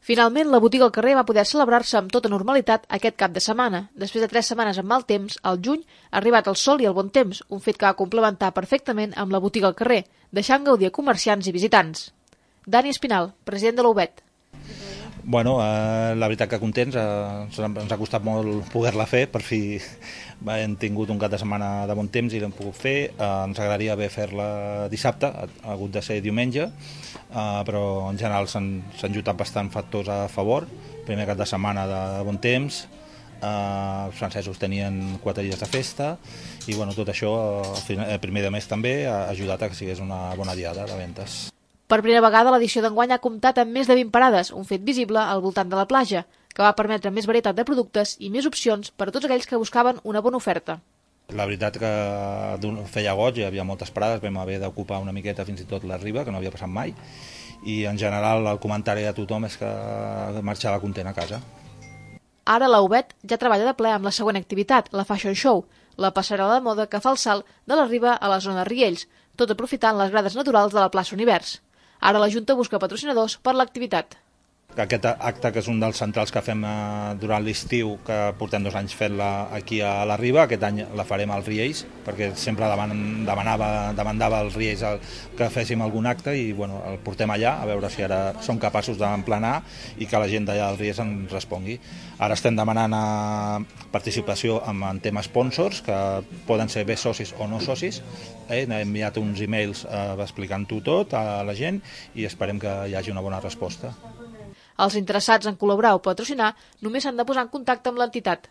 Finalment, la botiga al carrer va poder celebrar-se amb tota normalitat aquest cap de setmana. Després de 3 setmanes amb mal temps, al juny ha arribat el sol i el bon temps, un fet que va complementar perfectament amb la botiga al carrer, deixant gaudir a comerciants i visitants. Dani Espinal, president de l'UBET. Bueno, la veritat que contents, ens ha costat molt poder-la fer, per fi hem tingut un cap de setmana de bon temps i l'hem pogut fer. Ens agradaria haver fer-la dissabte, ha hagut de ser diumenge, però en general s'han juntat bastant factors a favor. Primer cap de setmana de bon temps, els francesos tenien 4 dies de festa i bueno, tot això, el primer de mes també, ha ajudat a que sigués una bona diada de ventes. Per primera vegada, l'edició d'enguany ha comptat amb més de 20 parades, un fet visible al voltant de la platja, que va permetre més varietat de productes i més opcions per a tots aquells que buscaven una bona oferta. La veritat que feia goig, hi havia moltes parades, vam haver d'ocupar una miqueta fins i tot la riba, que no havia passat mai, i en general el comentari de tothom és que marxava content a casa. Ara la UBET ja treballa de ple amb la següent activitat, la Fashion Show, la passarel·la de moda que fa el salt de la riba a la zona de Riells, tot aprofitant les grades naturals de la plaça Univers. Ara la Junta busca patrocinadors per l'activitat. Aquest acte, que és un dels centrals que fem durant l'estiu, que portem 2 anys fent-la aquí a la Riba, aquest any la farem als Riells, perquè sempre demandava als Riells que féssim algun acte i bueno, el portem allà, a veure si ara som capaços d'emplenar i que la gent d'allà dels Riells ens respongui. Ara estem demanant participació en temes sponsors, que poden ser bé socis o no socis. Hem enviat uns e-mails explicant-ho tot a la gent i esperem que hi hagi una bona resposta. Els interessats en col·laborar o patrocinar només s'han de posar en contacte amb l'entitat.